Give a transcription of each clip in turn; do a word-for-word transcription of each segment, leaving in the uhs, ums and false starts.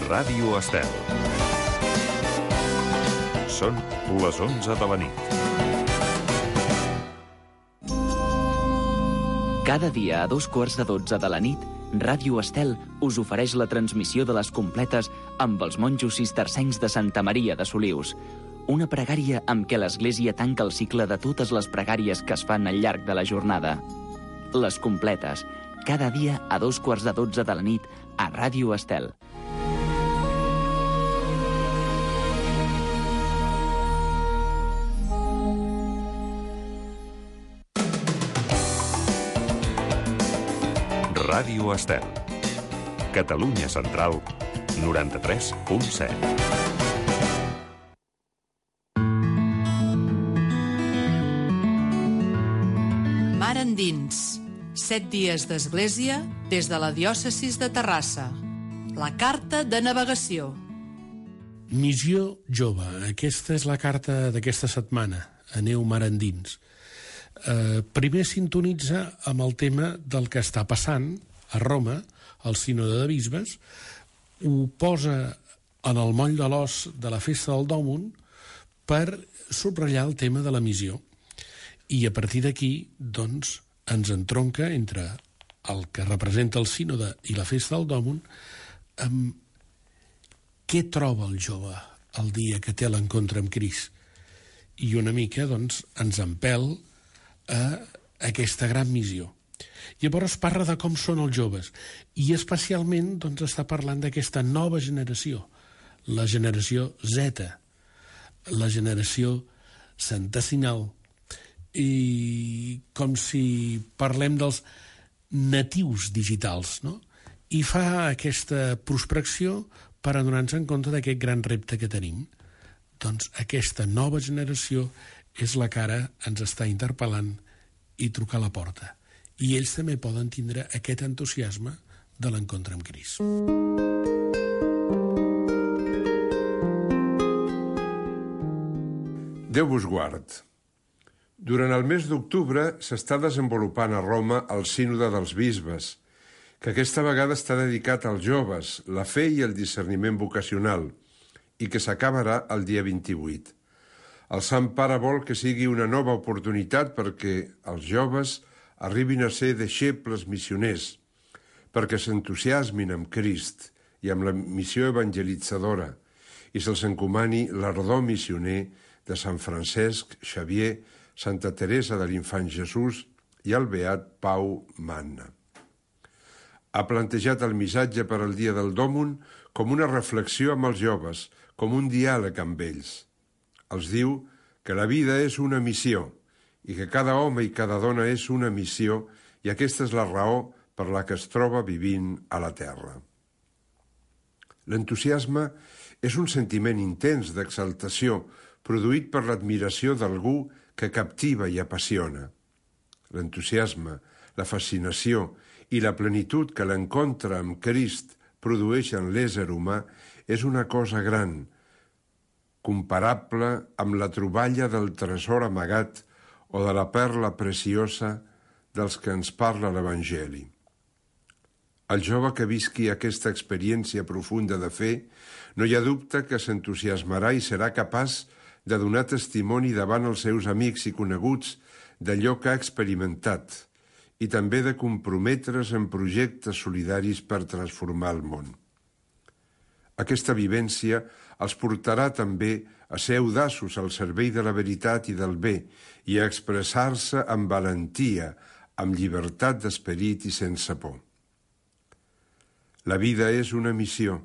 Ràdio Estel. Són les onze de la nit. Cada dia a dos quarts de dotze de la nit, Ràdio Estel us ofereix la transmissió de les completes amb els monjos cistercencs de Santa Maria de Solius. Una pregària amb què l'Església tanca el cicle de totes les pregàries que es fan al llarg de la jornada. Les completes, cada dia a dos quarts de dotze de la nit a Ràdio Estel. Ràdio Estel. Catalunya Central, noranta-tres punt set. Mar endins. Set dies d'església des de la diòcesis de Terrassa. La carta de navegació. Missió jove. Aquesta és la carta d'aquesta setmana. Aneu mar endins. Eh, primer sintonitza amb el tema del que està passant a Roma, al sínode de bisbes, ho posa en el moll de l'os de la festa del Dòmum per subratllar el tema de la missió. I a partir d'aquí, doncs, ens entronca entre el que representa el sínode i la festa del Dòmum amb què troba el jove el dia que té l'encontre amb Crist. I una mica, doncs, ens empel a aquesta gran missió. Llavors parla de com són els joves i especialment doncs, està parlant d'aquesta nova generació, la generació Z, la generació santesinal, i com si parlem dels natius digitals, no? I fa aquesta prospecció per adonar-nos en compte d'aquest gran repte que tenim. Doncs aquesta nova generació és la que ara ens està interpel·lant i trucar a la porta. I ells també poden tindre aquest entusiasme de l'encontre amb Crist. Déu vos guard. Durant el mes d'octubre s'està desenvolupant a Roma el sínode dels bisbes, que aquesta vegada està dedicat als joves, la fe i el discerniment vocacional, i que s'acabarà el dia vint-i-vuit. El Sant Pare vol que sigui una nova oportunitat perquè els joves arribin a ser deixebles missioners, perquè s'entusiasmin amb Crist i amb la missió evangelitzadora i se'ls encomani l'ardor missioner de Sant Francesc Xavier, Santa Teresa de l'Infant Jesús i el beat Pau Manna. Ha plantejat el missatge per al dia del Dòmum com una reflexió amb els joves, com un diàleg amb ells. Els diu que la vida és una missió i que cada home i cada dona és una missió i aquesta és la raó per la que es troba vivint a la terra. L'entusiasme és un sentiment intens d'exaltació produït per l'admiració d'algú que captiva i apassiona. L'entusiasme, la fascinació i la plenitud que l'encontre amb Crist produeix en l'ésser humà és una cosa gran, comparable amb la troballa del tresor amagat o de la perla preciosa dels que ens parla l'Evangeli. El jove que visqui aquesta experiència profunda de fe no hi ha dubte que s'entusiasmarà i serà capaç de donar testimoni davant els seus amics i coneguts d'allò que ha experimentat i també de comprometre's en projectes solidaris per transformar el món. Aquesta vivència els portarà també a ser audaços al servei de la veritat i del bé i a expressar-se amb valentia, amb llibertat d'esperit i sense por. La vida és una missió,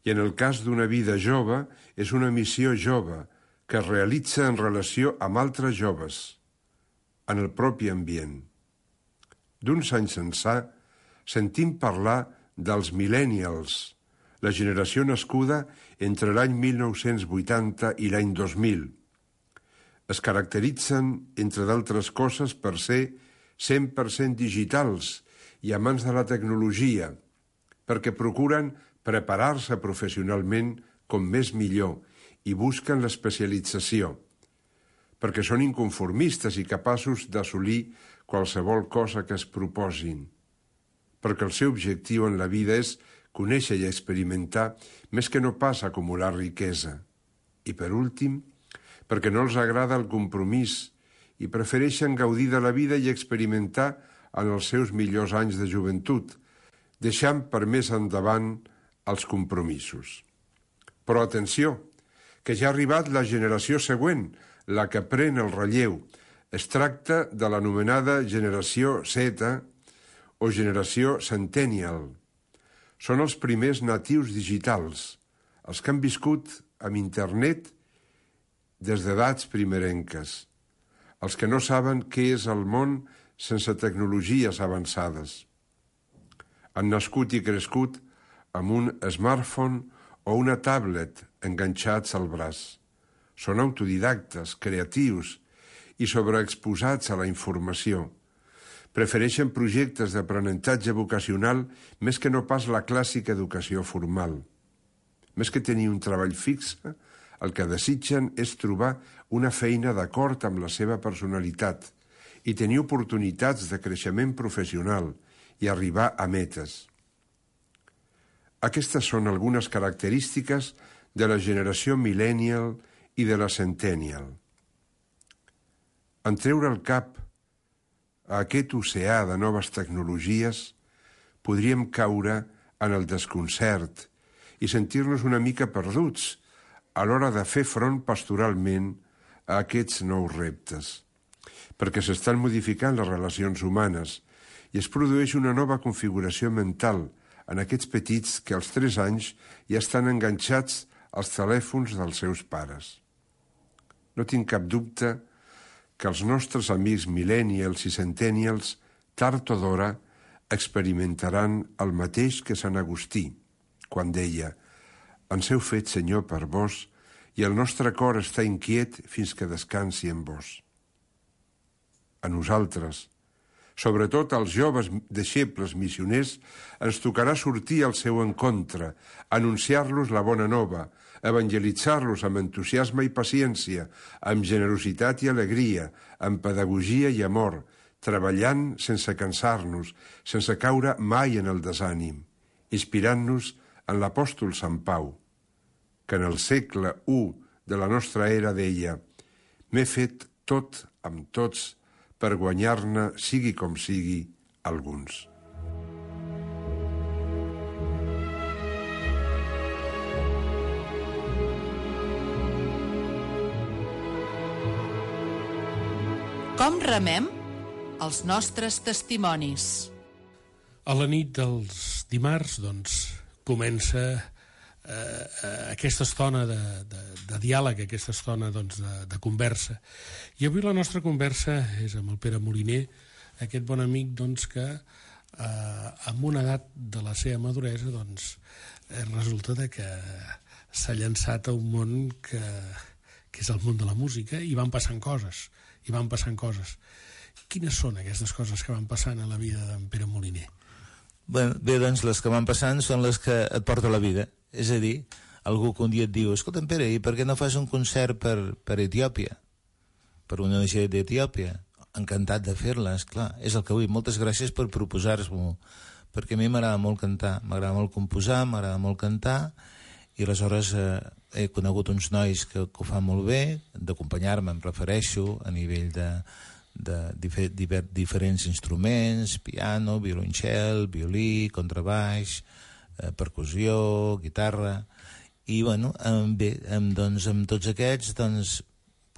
i en el cas d'una vida jove, és una missió jove que es realitza en relació amb altres joves, en el propi ambient. D'uns anys ençà, sentim parlar dels millennials, la generació nascuda entre l'any mil nou-cents vuitanta i l'any dos mil. Es caracteritzen, entre d'altres coses, per ser cent per cent digitals i amants de la tecnologia, perquè procuren preparar-se professionalment com més millor i busquen l'especialització, perquè són inconformistes i capaços d'assolir qualsevol cosa que es proposin, perquè el seu objectiu en la vida és conèixer i experimentar més que no pas acumular riquesa. I per últim, perquè no els agrada el compromís i prefereixen gaudir de la vida i experimentar en els seus millors anys de joventut, deixant per més endavant els compromisos. Però atenció, que ja ha arribat la generació següent, la que pren el relleu. Es tracta de l'anomenada generació Z o generació Centennial. Són els primers natius digitals, els que han viscut amb internet des d'edats primerenques, els que no saben què és el món sense tecnologies avançades. Han nascut i crescut amb un smartphone o una tablet enganxats al braç. Són autodidactes, creatius i sobreexposats a la informació. Prefereixen projectes d'aprenentatge vocacional més que no pas la clàssica educació formal. Més que tenir un treball fix, el que desitgen és trobar una feina d'acord amb la seva personalitat i tenir oportunitats de creixement professional i arribar a metes. Aquestes són algunes característiques de la generació millennial i de la centennial. En treure el cap a aquest oceà de noves tecnologies, podríem caure en el desconcert i sentir-nos una mica perduts a l'hora de fer front pastoralment a aquests nous reptes, perquè s'estan modificant les relacions humanes i es produeix una nova configuració mental en aquests petits que als tres anys ja estan enganxats als telèfons dels seus pares. No tinc cap dubte que els nostres amics millennials i centennials, tard o d'hora, experimentaran el mateix que Sant Agustí, quan deia: «Ens heu fet, Senyor, per vos, i el nostre cor està inquiet fins que descansi en vos». A nosaltres, sobretot als joves deixebles missioners, ens tocarà sortir al seu encontre, anunciar-los la bona nova, evangelitzar-los amb entusiasme i paciència, amb generositat i alegria, amb pedagogia i amor, treballant sense cansar-nos, sense caure mai en el desànim, inspirant-nos en l'apòstol Sant Pau, que en el segle u de la nostra era deia: «M'he fet tot amb tots per guanyar-ne, sigui com sigui, alguns». Com remem els nostres testimonis? A la nit dels dimarts, doncs, comença eh, aquesta estona de, de, de diàleg, aquesta estona doncs, de, de conversa. I avui la nostra conversa és amb el Pere Moliner, aquest bon amic doncs, que eh, amb una edat de la seva maduresa doncs, eh, resulta de que s'ha llançat a un món que, que és el món de la música, i van passant coses, i van passant coses. Quines són aquestes coses que van passant a la vida d'en Pere Moliner? Bé, bé, doncs les que van passant són les que et porta la vida. És a dir, algú que un dia et diu: escolta'm, Pere, i per què no fas un concert per, per Etiòpia? Per una O N G d'Etiòpia? Encantat de fer-la, esclar. És el que vull. Moltes gràcies per proposar-m'ho, perquè a mi m'agrada molt cantar, m'agrada molt composar, m'agrada molt cantar, i aleshores eh, he conegut uns nois que, que ho fan molt bé, d'acompanyar-me, em refereixo, a nivell de, de difer, diver, diferents instruments, piano, violoncel, violí, contrabaix, eh, percussió, guitarra, i bueno, em, bé, em, doncs, amb tots aquests, doncs,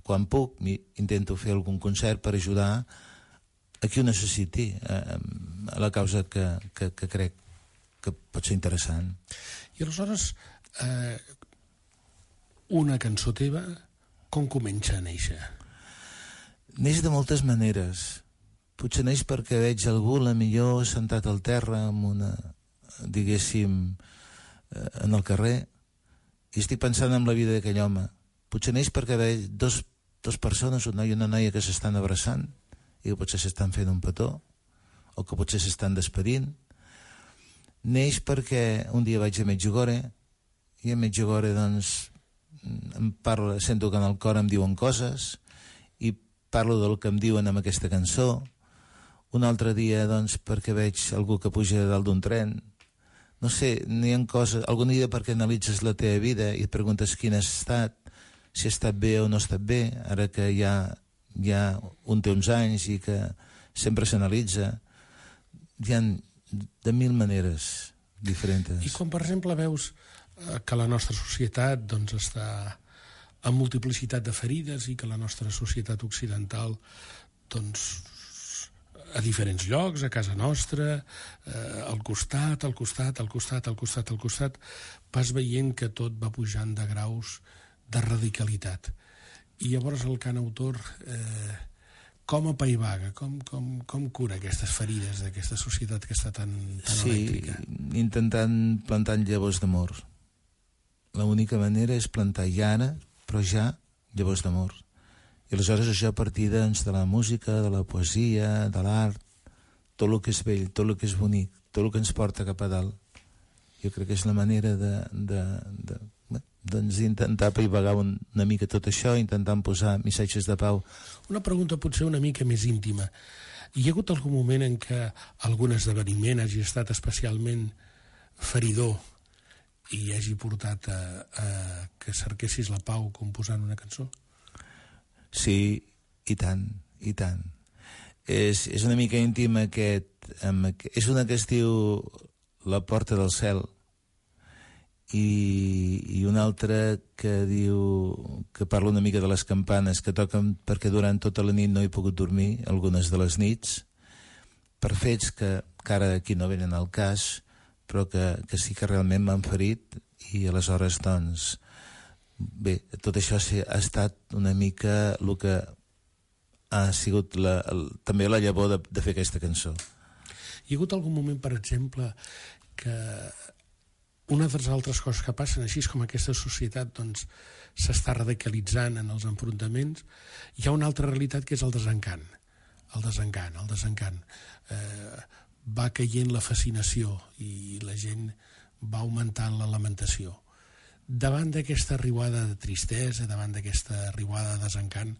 quan puc, intento fer algun concert per ajudar a qui ho necessiti, eh, a la causa que, que, que crec que pot ser interessant. I aleshores, eh, una cançó teva, com comença a néixer? Neix de moltes maneres. Potser neix perquè veig algú, la millor, sentat al terra, amb una, diguéssim, eh, en el carrer, i estic pensant en la vida d'aquell home. Potser neix perquè veig dos, dos persones, un noi i una noia, que s'estan abraçant, i que potser s'estan fent un petó, o que potser s'estan despedint. Neix perquè un dia vaig a Medjugorje, i a Medjugorje, doncs, em parla, sento que en el cor em diuen coses, i parlo del que em diuen amb aquesta cançó. Un altre dia, doncs, perquè veig algú que puja dalt d'un tren, no sé, n'hi ha coses... Algun dia perquè analitzes la teva vida i et preguntes quin has estat, si has estat bé o no has estat bé, ara que ja, ja un té uns anys i que sempre s'analitza, hi ha de mil maneres diferents. I quan, per exemple, veus que la nostra societat doncs, està amb multiplicitat de ferides i que la nostra societat occidental doncs, a diferents llocs, a casa nostra, eh, al costat, al costat, al costat, al costat, al costat, vas veient que tot va pujant de graus de radicalitat. I llavors el cantautor eh, com apaivaga, com, com, com cura aquestes ferides d'aquesta societat que està tan, tan sí, elèctrica? Intentant plantar llavors d'amor. L'única manera és plantar ja ara, però ja, llavors d'amor. I aleshores això a partir doncs, de la música, de la poesia, de l'art, tot el que és bell, tot el que és bonic, tot el que ens porta cap a dalt. Jo crec que és la manera de, de, de, doncs, intentar apaivagar una mica tot això, intentant posar missatges de pau. Una pregunta potser una mica més íntima. Hi ha hagut algun moment en què algun esdeveniment hagi estat especialment feridor i hagi portat a, a que cerquessis la pau composant una cançó? Sí, i tant, i tant. És, és una mica íntima aquest, amb, és una que es diu La porta del cel i, i una altra que diu que parla una mica de les campanes que toquen perquè durant tota la nit no he pogut dormir, algunes de les nits, per fets que, que ara aquí no venen al cas, però que, que sí que realment m'han ferit i aleshores doncs bé, tot això ha estat una mica el que ha sigut la, el, també la llavor de, de fer aquesta cançó. Hi ha hagut algun moment, per exemple, que una de les altres coses que passen, així com aquesta societat doncs, s'està radicalitzant en els enfrontaments, hi ha una altra realitat que és el desencant. El desencant, el desencant. Eh, va caient la fascinació i la gent va augmentant la lamentació. Davant d'aquesta riuada de tristesa, davant d'aquesta riuada de desencant,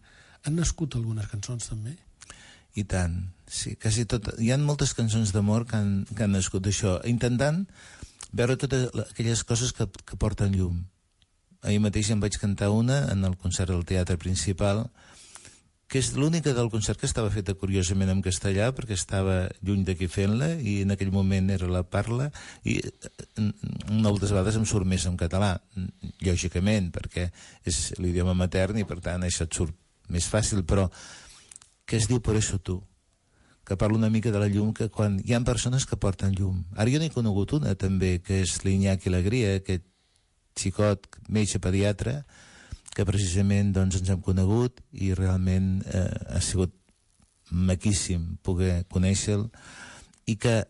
han nascut algunes cançons també? I tant, sí, quasi tot. Hi ha moltes cançons d'amor que han, que han nascut d'això, intentant veure totes aquelles coses que, que porten llum. Ahir mateix em vaig cantar una en el concert del Teatre Principal, que és l'única del concert que estava feta curiosament en castellà, perquè estava lluny d'aquí fent-la, i en aquell moment era la parla, i moltes vegades em surt més en català, lògicament, perquè és l'idioma matern i per tant això et surt més fàcil, però que es diu Por eso tú, que parla una mica de la llum, que quan hi ha persones que porten llum. Ara jo n'he conegut una també, que és l'Iñaki Alegria, aquest xicot, metge pediatre, que precisament doncs, ens hem conegut i realment eh, ha sigut maquíssim poder conèixer-lo i que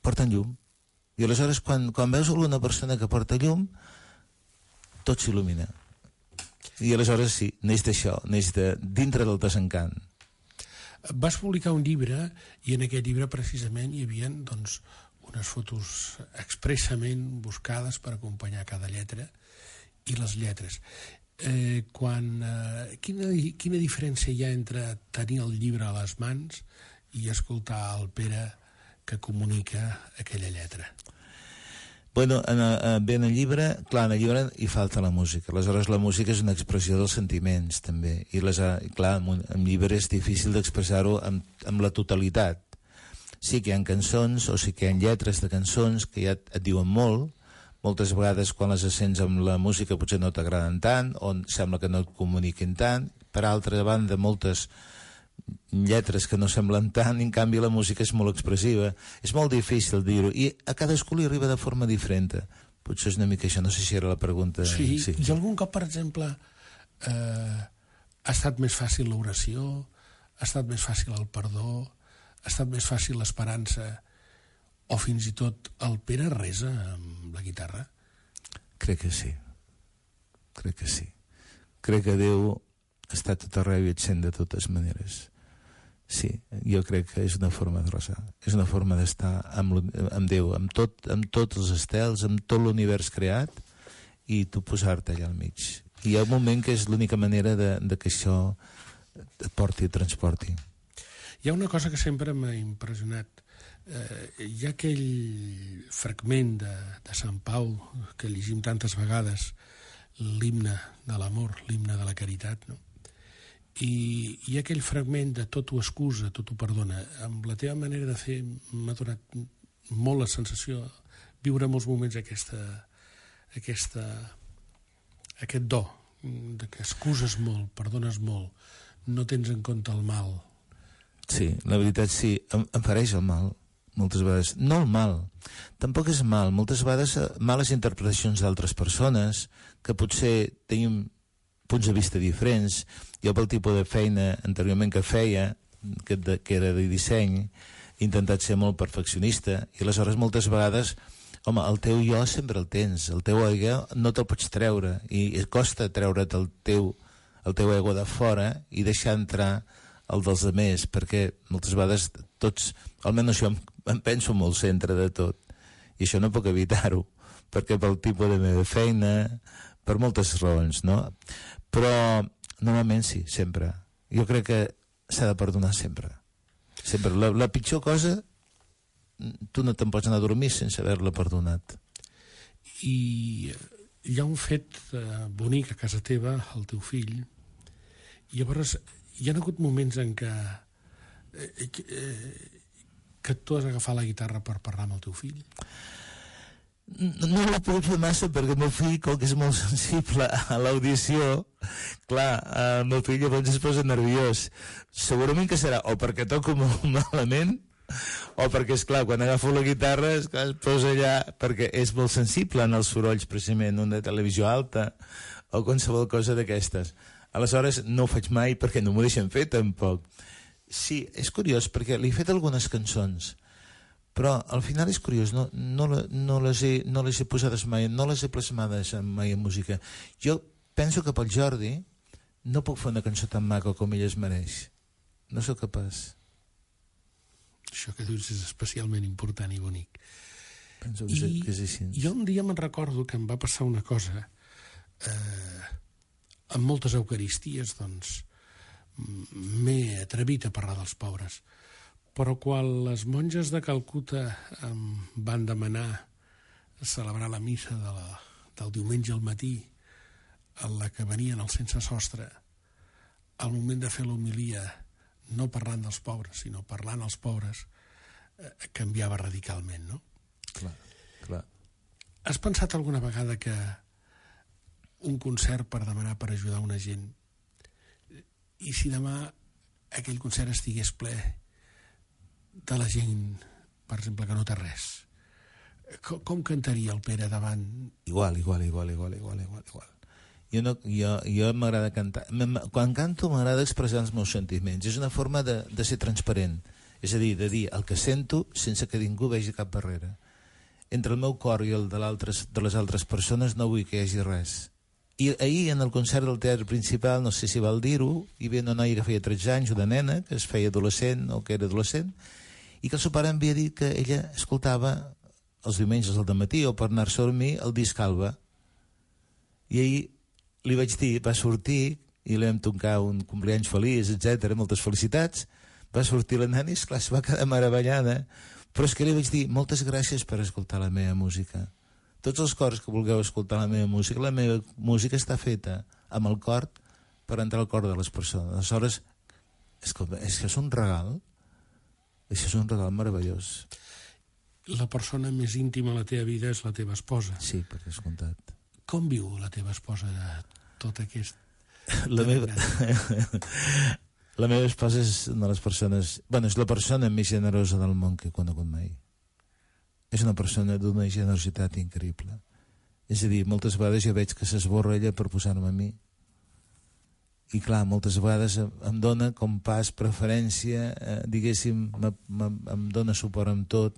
porten llum. I aleshores quan, quan veus alguna persona que porta llum, tot s'il·lumina. I aleshores sí, neix d'això, neix de dintre del desencant. Vas publicar un llibre i en aquest llibre precisament hi havia doncs, unes fotos expressament buscades per acompanyar cada lletra i les lletres. Eh, quan, eh, quina, quina diferència hi ha entre tenir el llibre a les mans i escoltar el Pere que comunica aquella lletra? Bueno, en, en, bé, en el llibre, clar, en el llibre hi falta la música. Aleshores, la música és una expressió dels sentiments, també. I, les, clar, en un llibre és difícil d'expressar-ho amb, amb la totalitat. Sí que hi ha cançons, o sí que hi ha lletres de cançons que ja et, et diuen molt. Moltes vegades, quan les sents amb la música, potser no t'agraden tant, o sembla que no et comuniquin tant. Per altra banda, moltes lletres que no semblen tant, i en canvi la música és molt expressiva. És molt difícil dir-ho, i a cadascú li arriba de forma diferent. Potser és una mica això, no sé si era la pregunta. Sí, sí. I algun cop, per exemple, eh, ha estat més fàcil l'oració, ha estat més fàcil el perdó, ha estat més fàcil l'esperança, o fins i tot el Pere resa amb la guitarra? Crec que sí. Crec que sí. Crec que Déu està tot arreu i et sent de totes maneres. Sí, jo crec que és una forma de resar. És una forma d'estar amb, amb Déu, amb, tot, amb tots els estels, amb tot l'univers creat, i tu posar-te allà al mig. I hi ha un moment que és l'única manera de, de que això et porti, et transporti. Hi ha una cosa que sempre m'ha impressionat. Eh, hi ha aquell fragment de, de Sant Pau que llegim tantes vegades, l'himne de l'amor, l'himne de la caritat, no? I, i aquell fragment de tot ho excusa, tot ho perdona, amb la teva manera de fer m'ha donat molt la sensació viure molts moments aquesta, aquesta, aquest do de que excuses molt, perdones molt, no tens en compte el mal. Sí, la veritat sí, em, em fareix el mal moltes vegades, no el mal, tampoc és mal, moltes vegades males interpretacions d'altres persones que potser tenim punts de vista diferents. Jo pel tipus de feina anteriorment que feia, que, de, que era de disseny, he intentat ser molt perfeccionista i aleshores moltes vegades, home, el teu jo sempre el tens, el teu ego no te'l pots treure i et costa treure't el teu, el teu ego de fora i deixar entrar el dels altres, perquè moltes vegades tots, almenys jo em, em penso molt centre de tot i això no puc evitar-ho, perquè pel tipus de meva feina, per moltes raons, no? Però normalment sí, sempre. Jo crec que s'ha de perdonar sempre. Sempre. La, la pitjor cosa, tu no te'n pots anar a dormir sense haver-la perdonat. I hi ha un fet eh, bonic a casa teva, el teu fill, i llavors hi ha hagut moments en què eh, eh, que tu has agafat la guitarra per parlar amb el teu fill? No, no l'he pogut fer massa perquè el meu fill, com que és molt sensible a l'audició, clar, el meu fill llavors es posa nerviós. Segurament que serà o perquè toco molt malament o perquè, esclar, quan agafo la guitarra esclar, es posa allà, perquè és molt sensible en els sorolls, precisament, una televisió alta o qualsevol cosa d'aquestes. Aleshores no ho faig mai perquè no m'ho deixen fer tampoc. Sí, és curiós perquè li he fet algunes cançons, però al final és curiós, no, no, no, les he, no les he posades mai, no les he plasmades mai en música. Jo penso que pel Jordi no puc fer una cançó tan maca com ell es mereix. No sóc capaç. Això que dius és especialment important i bonic. Penso que, I, que és així. Jo un dia me'n recordo que em va passar una cosa, eh, amb moltes eucaristies, doncs, m'he atrevit a parlar dels pobres. Però quan les monges de Calcuta em van demanar celebrar la missa de la, del diumenge al matí, en la que venien els sense sostre, al moment de fer l'homilia, no parlant dels pobres, sinó parlant als pobres, eh, canviava radicalment, no? Clar, clar. Has pensat alguna vegada que un concert per demanar per ajudar una gent, i si demà aquell concert estigués ple de la gent, per exemple, que no té res, com, com cantaria el Pere davant? Igual, igual, igual, igual, igual, igual, igual. Jo, no, jo, jo m'agrada cantar. Quan canto m'agrada expressar els meus sentiments. És una forma de, de ser transparent. És a dir, de dir el que sento sense que ningú vegi cap barrera. Entre el meu cor i el de, de les altres persones no vull que hi hagi res. I ahir, en el concert del Teatre Principal, no sé si val dir-ho, hi havia una noia que feia tretze anys, una nena, que es feia adolescent o que era adolescent, i que el seu pare em havia dit que ella escoltava els diumenges al dematí o per anar-se a dormir el disc Alba. I ahir li vaig dir, va sortir, i li vam tocar un compleany feliç, etcètera, moltes felicitats, va sortir la nena i, esclar, es va quedar meravellada, però és que li vaig dir, moltes gràcies per escoltar la meva música. Tots els cors que vulgueu escoltar la meva música, la meva música està feta amb el cor per entrar al cor de les persones. Aleshores, escolta, és que és un regal, això és un regal meravellós. La persona més íntima a la teva vida és la teva esposa. Sí, per descomptat. Com viu la teva esposa tot aquest... La meva... la meva esposa és una de les persones... Bueno, és la persona més generosa del món que he conegut mai. És una persona d'una generositat increïble. És a dir, moltes vegades jo veig que s'esborra ella per posar-me a mi. I clar, moltes vegades em dona com pas preferència, eh, diguéssim, m, m, em dona suport amb tot.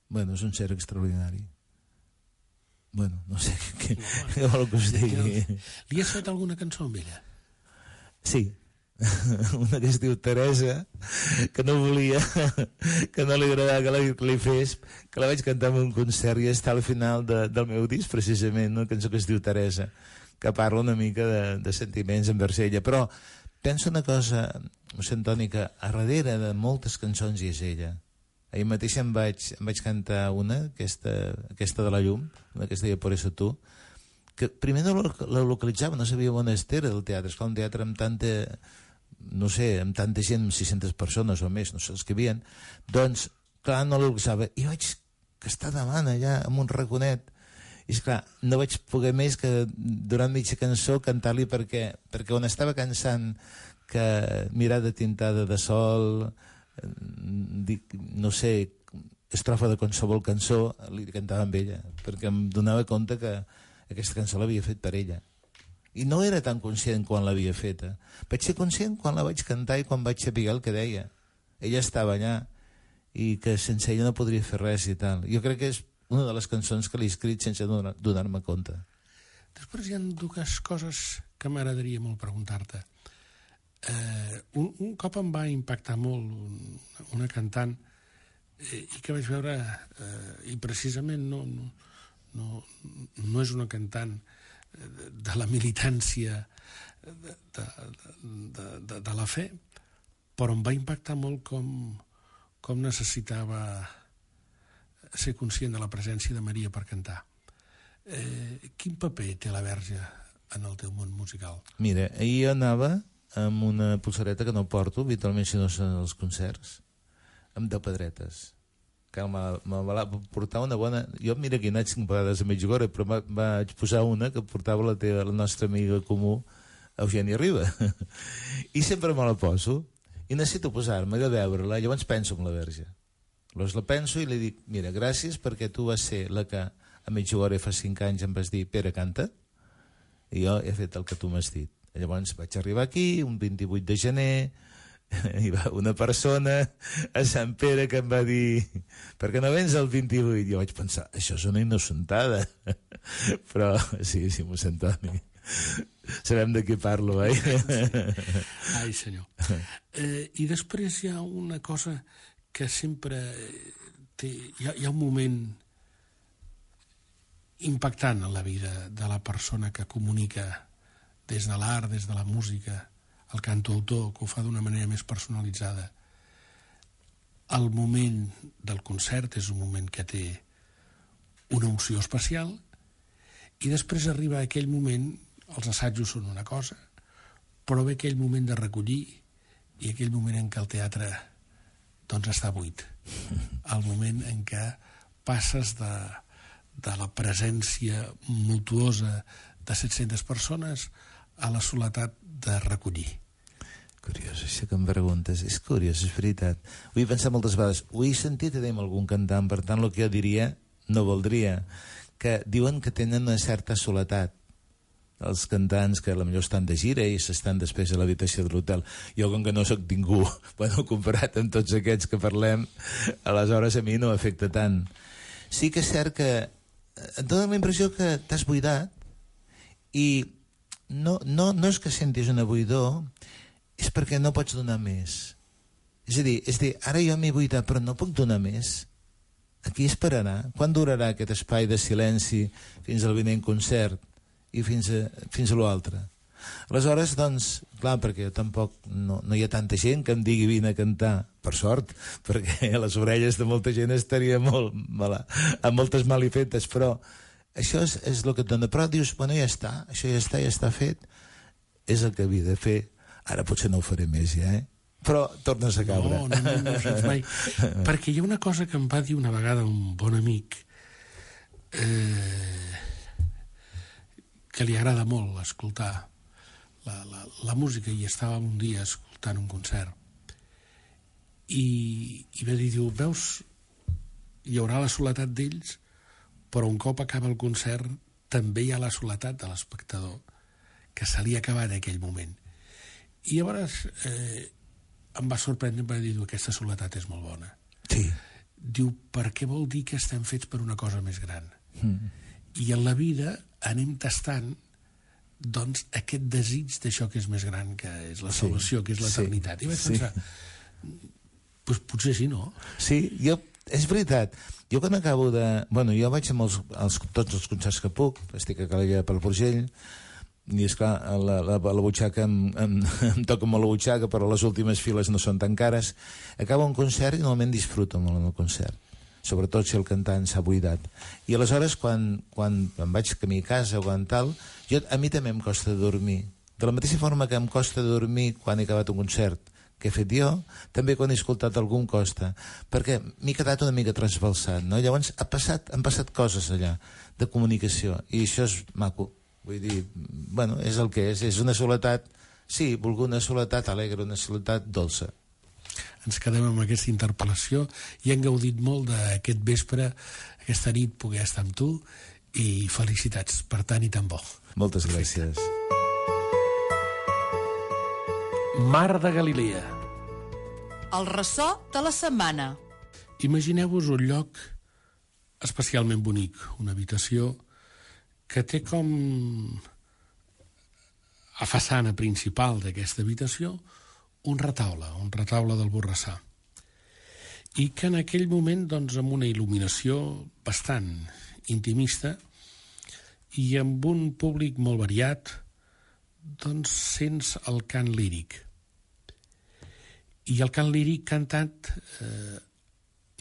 Bueno, és un ser extraordinari. Bueno, no sé què, no, què vol que us digui. Li has fet alguna cançó amb ella? Sí. Una que es diu Teresa, que no volia, que no li agradava que la, que li fes, que la vaig cantar en un concert i està al final de, del meu disc, precisament, una cançó que es diu Teresa, que parla una mica de, de sentiments envers ella. Però penso una cosa, mossèn Toni, que a darrere de moltes cançons hi és ella. Ahir mateix em vaig, em vaig cantar una, aquesta, aquesta de la llum, una que es deia Por eso tú, que primer no la localitzava, no sabia on era el teatre. Esclar, un teatre amb tanta, no sé, amb tanta gent, amb sis-centes persones o més, no sé els que havien, doncs, clar, no la localitzava. I vaig que està davant allà, amb un raconet, i esclar, no vaig poder més que durant mitja cançó cantar-li perquè, perquè on estava cansant que mirada tintada de sol, dic, no sé, estrofa de qualsevol cançó, li cantava amb ella, perquè em donava compte que aquesta cançó l'havia fet per ella. I no era tan conscient quan l'havia feta. Vaig ser conscient quan la vaig cantar i quan vaig saber el que deia. Ella estava allà i que sense ella no podria fer res i tal. Jo crec que és una de les cançons que l'he escrit sense donar-me compte. Després hi ha dues coses que m'agradaria molt preguntar-te. Eh, un, un cop em va impactar molt un, una cantant eh, i que vaig veure eh, i precisament no, no, no, no és una cantant de, de la militància de, de, de, de, de la fe, però em va impactar molt com, com necessitava ser conscient de la presència de Maria per cantar. Eh, quin paper té la Verge en el teu món musical? Mira, ahir anava amb una pulsareta que no porto, habitualment si no són els concerts, amb deu pedretes. Que me, me va portar una bona... Jo, mira que he anat cinc vegades a Medjugorje, però va, vaig posar una que portava la, teva, la nostra amiga comú, Eugènia Riba. I sempre me la poso, i necessito posar-me de veure-la, llavors penso en la Verge. Llavors la penso i li dic, mira, gràcies perquè tu vas ser la que a Medjugorje fa cinc anys em vas dir, Pere, canta, i jo he fet el que tu m'has dit. Llavors vaig arribar aquí, un vint-i-vuit de gener, hi va una persona a Sant Pere que em va dir per què no vens el vint-i-vuit? Jo vaig pensar, això és una innocentada. Però sí, sí, mossèn Toni, sabem de què parlo, eh? Ai, senyor. Eh, I després hi ha una cosa que sempre té... Hi ha, hi ha un moment impactant en la vida de la persona que comunica des de l'art, des de la música, el cantautor, que ho fa d'una manera més personalitzada. El moment del concert és un moment que té una unció especial i després arriba aquell moment, els assajos són una cosa, però ve aquell moment de recollir i aquell moment en què el teatre doncs està buit. El moment en què passes de, de la presència mutuosa de set-centes persones a la soledat de recollir. Curiós, això que em preguntes. És curiós, és veritat. Ho he pensat moltes vegades. Ho he sentit a dir amb algun cantant, per tant, el que jo diria no voldria. Que diuen que tenen una certa soledat. Els cantants que potser estan de gira i s'estan després a l'habitació de l'hotel. Jo, com que no sóc ningú, bueno, comparat amb tots aquests que parlem, aleshores a mi no afecta tant. Sí que és cert que et dona la impressió que t'has buidat i no, no, no és que sentis una buidor, és perquè no pots donar més. És a dir, és a dir, ara jo m'he buidat, però no puc donar més. Aquí esperarà. Quan durarà aquest espai de silenci fins al vinent concert i fins a, fins a l'altre? Aleshores, doncs, clar, perquè tampoc no, no hi ha tanta gent que em digui vine a cantar, per sort, perquè a les orelles de molta gent estaria molt mala, amb moltes malifetes, però això és, és el que et dona. Però dius, bueno, ja està, això ja està, ja està fet, és el que havia de fer. Ara potser no ho faré més ja, eh? Però tornes a caure. No, no, no, no ho saps mai. Perquè hi ha una cosa que em va dir una vegada un bon amic eh, que li agrada molt escoltar la, la, la música, i estàvem un dia escoltant un concert i, i va dir, diu, veus, hi haurà la soledat d'ells, però un cop acaba el concert també hi ha la soledat de l'espectador, que se li ha acabat aquell moment. I llavors eh, em va sorprendre, em va dir, aquesta soledat és molt bona. Sí. Diu, perquè vol dir que estem fets per una cosa més gran. Mm. I en la vida anem tastant doncs aquest desig d'això que és més gran, que és la salvació, sí, que és l'eternitat. I vaig sí. pensar, pues potser sí, no? Sí, jo, és veritat. Jo quan acabo de... Bueno, jo vaig amb els, els, tots els concerts que puc, estic a Calella pel Porgell, i esclar, la, la, la butxaca em, em, em toca molt la butxaca, però les últimes files no són tan cares. Acaba un concert i normalment disfruto molt en el concert, sobretot si el cantant s'ha buidat. I aleshores, quan, quan em vaig camí a casa o quan tal, jo, a mi també em costa dormir. De la mateixa forma que em costa dormir quan he acabat un concert que he fet jo, també quan he escoltat algú em costa, perquè m'he quedat una mica trasbalsat, no? Llavors ha passat, han passat coses allà de comunicació, i això és maco. Vull dir, bueno, és el que és, és una soledat, sí, volgut una soledat alegre, una soledat dolça. Ens quedem amb aquesta interpel·lació i hem gaudit molt d'aquest vespre, aquesta nit, poder estar amb tu, i felicitats per tant i tan bo. Moltes gràcies. Mar de Galilea. El ressò de la setmana. Imagineu-vos un lloc especialment bonic, una habitació que té com a façana principal d'aquesta habitació un retaule, un retaule del Borrassà. I que en aquell moment, doncs, amb una il·luminació bastant intimista i amb un públic molt variat, doncs sents el cant líric. I el cant líric cantat eh,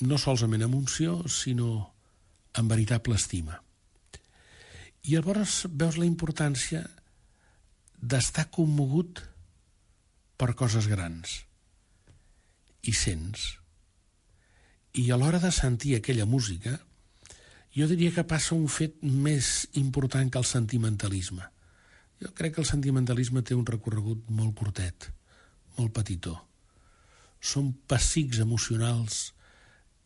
no solament amb unció, sinó amb veritable estima. I llavors veus la importància d'estar commogut per coses grans. I sents. I a l'hora de sentir aquella música, jo diria que passa un fet més important que el sentimentalisme. Jo crec que el sentimentalisme té un recorregut molt curtet, molt petitó. Són pessics emocionals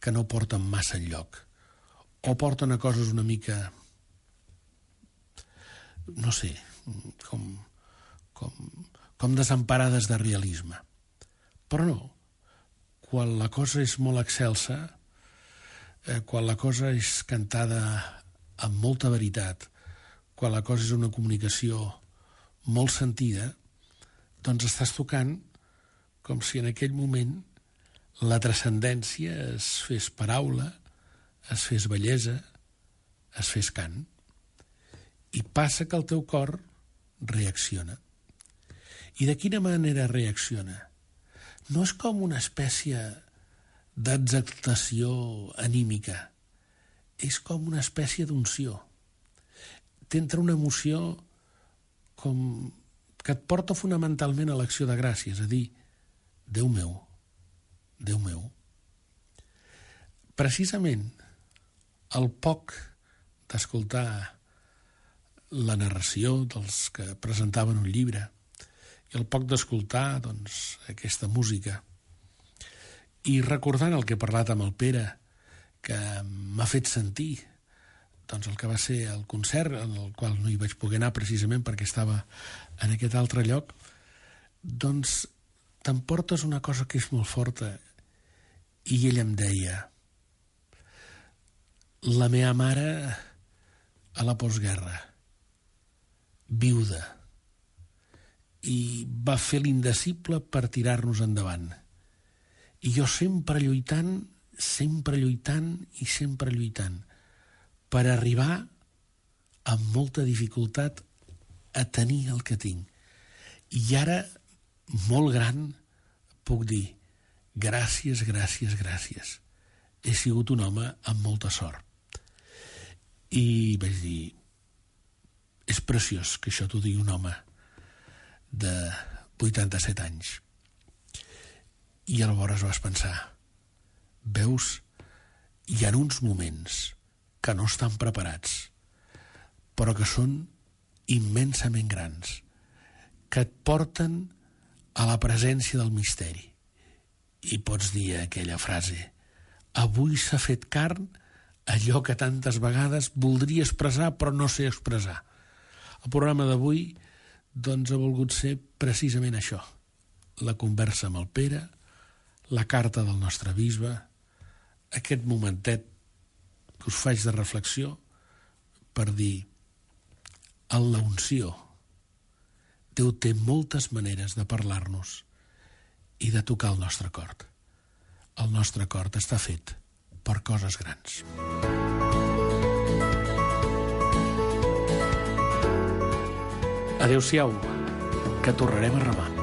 que no porten massa enlloc, o porten a coses una mica, no sé, com, com, com desemparades de realisme. Però no, quan la cosa és molt excelsa, eh, quan la cosa és cantada amb molta veritat, quan la cosa és una comunicació molt sentida, doncs estàs tocant com si en aquell moment la transcendència es fes paraula, es fes bellesa, es fes cant. I passa que el teu cor reacciona. I de quina manera reacciona? No és com una espècie d'exaltació anímica, és com una espècie d'unció. T'entra una emoció com que et porta fonamentalment a l'acció de gràcia, és a dir, Déu meu, Déu meu. Precisament el poc d'escoltar la narració dels que presentaven un llibre i el poc d'escoltar, doncs, aquesta música, i recordant el que he parlat amb el Pere, que m'ha fet sentir doncs el que va ser el concert, en el qual no hi vaig poder anar precisament perquè estava en aquest altre lloc, doncs t'emportes una cosa que és molt forta. I ell em deia, la meva mare a la postguerra, viuda, i va fer l'indecible per tirar-nos endavant. I jo sempre lluitant, sempre lluitant i sempre lluitant, per arribar amb molta dificultat a tenir el que tinc. I ara, molt gran, puc dir gràcies, gràcies, gràcies. He sigut un home amb molta sort. I vaig dir, és preciós que això t'ho digui un home de vuitanta-set anys. I llavors vas pensar, veus, hi ha uns moments que no estan preparats, però que són immensament grans, que et porten a la presència del misteri. I pots dir aquella frase, avui s'ha fet carn allò que tantes vegades voldria expressar però no sé expressar. El programa d'avui doncs ha volgut ser precisament això, la conversa amb el Pere, la carta del nostre bisbe, aquest momentet que us faig de reflexió per dir, en la unció, Déu té moltes maneres de parlar-nos i de tocar el nostre cor. El nostre cor està fet per coses grans. Adéu-siau, que tornarem a remar.